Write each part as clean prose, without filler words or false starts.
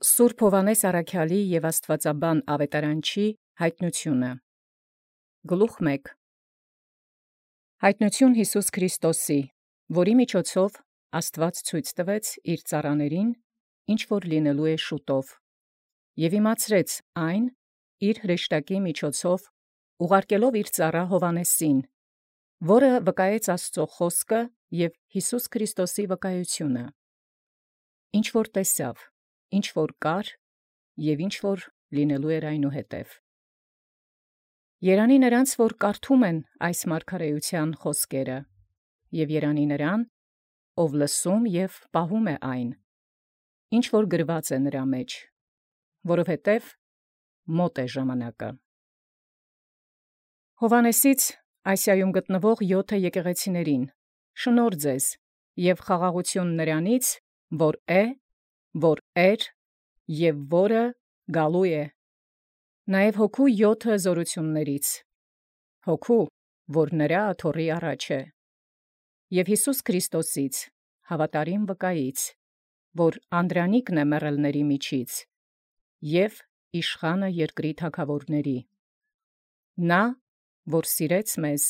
Սուրբ Հովհաննես Առաքյալի և Աստուածաբան Ավետարանչի հայտնությունը։ Գլուխ 1. Հայտնություն Յիսուս Քրիստոսի, որի միջոցով Աստուած ցույց տվեց իր ծառաներին, ինչ որ լինելու է շուտով, և իմացրեց այն իր հրեշտակի միջոցով, ուղարկելով իր ծառա Հովհաննեսին, որը վկայեց Աստուծո խոսքը և Յիսուս Քրիստոսի վկայությունը, ինչ որ տեսավ, ինչ որ կար և ինչ որ լինելու էր այնուհետև։ Երանի նրանց, որ կարդում են այս մարգարեության խոսքերը, և երանի նրան, ով լսում և պահում է այն, ինչ որ գրված է նրա մեջ, որովհետև մոտ է ժամանակը։ Հովհաննեսից Ասիայում գտնվող 7 եկեղեցիներին շնորհ ձեզ և խաղաղություն նրանից, որ է, որ էր և որը գալու է, նաև հոգու 7 զորություններից, հոգու, որ նրա աթոռի առաջ է, և Յիսուս Քրիստոսից, հավատարիմ վկայից, որ անդրանիկն է մեռելների միջից, և իշխանը երկրի թագավորների, նա, որ սիրեց մեզ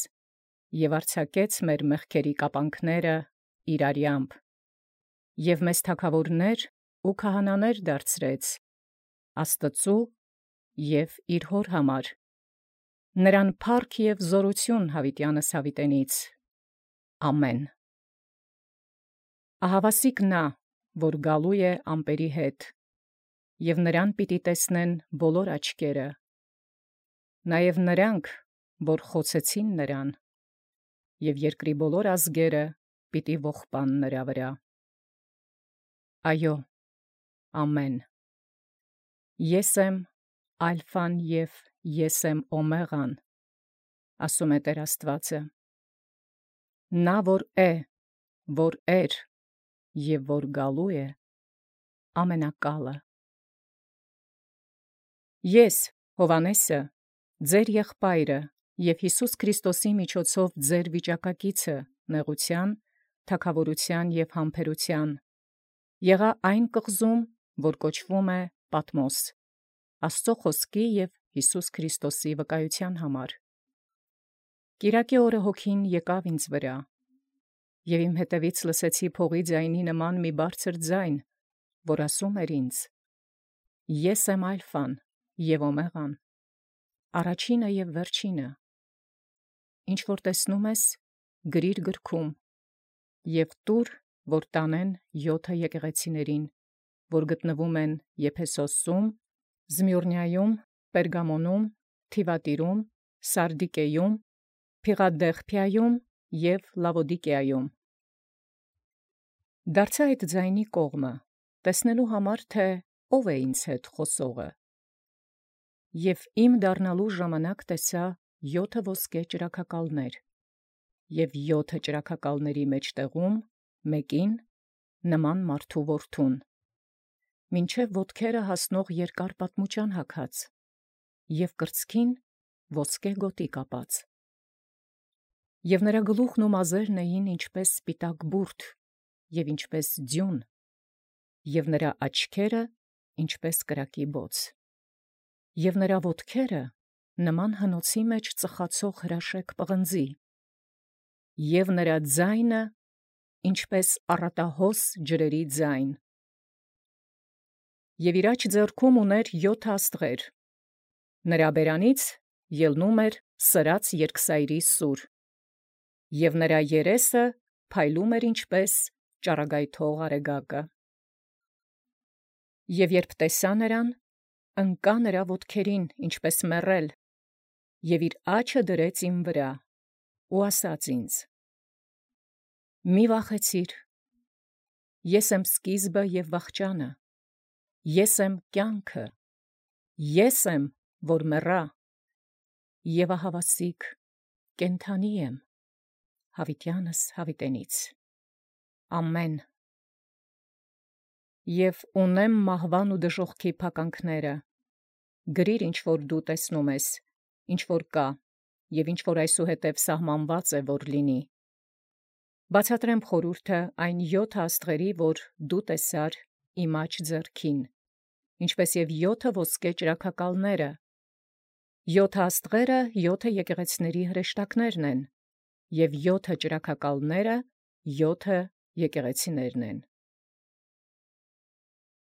և արձակեց մեր մեղքերի կապանքները իր արյամբ, և մեզ թագավորներ ու քահանաներ դարձրեց Աստծու և իր Հոր համար, նրան փառք և զորություն յաւիտյանս յաւիտենից. Ամեն։ Ահավասիկ նա, որ գալու է ամպերի հետ, և նրան պիտի տեսնեն բոլոր աչքերը, նաև նրանք, որ խոցեցին նրան, և երկրի բոլոր ազգերը պիտի ողբան նրա վրա. Այո, ամեն։ Ես եմ ալֆան և ես եմ օմեղան, ասում է Տեր Աստուածը, նա որ է, որ էր և որ գալու է, ամենակալը։ Ես, Հովհաննեսը, ձեր եղբայրը և Յիսուս Քրիստոսի միջոցով ձեր վիճակակիցը նեղության, թագաւորութեան և համբերութեան, եղա այն կղզում, որ կոչվում է Պատմոս, Աստծո խոսքի և Յիսուս Քրիստոսի վկայութեան համար։ Կիրակի օրը Հոգին եկավ ինձ վրա, և իմ ետևից լսեցի փողի ձայնի նման մի բարձր ձայն, որ ասում էր ինձ. Ես եմ ալֆան և օմեղան, առաջինը և վերջինը. ինչ որ տեսնում ես, գրիր գրքում, և տուր, որ տանեն 7 եկեղեցիներին, որ գտնվում են Եփեսոսում, Զմյուրնայում, Պերգամոնում, Թիվատիրում, Սարդիկեում, Փիղադելփիայում և Լավոդիկեայում։ Դարձա այդ ձայնի կողմը, տեսնելու համար, թէ ով է ինձ հետ խոսողը, և իմ դառնալու ժամանակ տեսա 7 ոսկե ճրագակալներ, և 7 ճրագակալների մեջտեղում մեկին նման մարդու որդուն, մինչև ոտքերը հասնող երկար պատմուճան հագած, և կրծքին ոսկե գոտի կապած, և նրա գլուխն ու մազերն էին ինչպես սպիտակ բուրդ և ինչպես ձյուն, և նրա աչքերը ինչպես կրակի բոց, և նրա ոտքերը նման հնոցի մեջ ծխացող հրաշեկ պղնձի, և նրա ձայնը ինչպես առատահոս ջրերի ձայն, և իր աջ ձեռքում ուներ 7 աստղեր, նրա բերանից ելնում էր սրած երկսայրի սուր, և նրա երեսը փայլում էր ինչպես ճառագայթող արեգակը։ Եւ երբ տեսա նրան, ընկա նրա ոտքերին, ինչպես մեռել, և իր աջը դրեց իմ վրա, ու ասաց ինձ. մի վախեցիր, ես եմ սկիզբը և վախճանը, ես եմ կյանքը, ես եմ, որ մեռա, և ահավասիկ կենդանի եմ, յաւիտյանս յաւիտենից։ Ամեն։ Եւ ունեմ մահվան ու դժոխքի փականքները, գրիր ինչ որ դու տեսնում ես, ինչ որ կա, և ինչ որ այսուհետև սահմանված է, որ լինի։ Բացատրեմ խորհուրդը այն 7 աստղերի, որ դու տեսար իմ աջ ձեռքին, ինչպես և 7 ոսկե ճրագակալները։ 7 աստղերը 7 եկեղեցիների հրեշտակներն են, և 7 ճրագակալները 7 եկեղեցիներն են։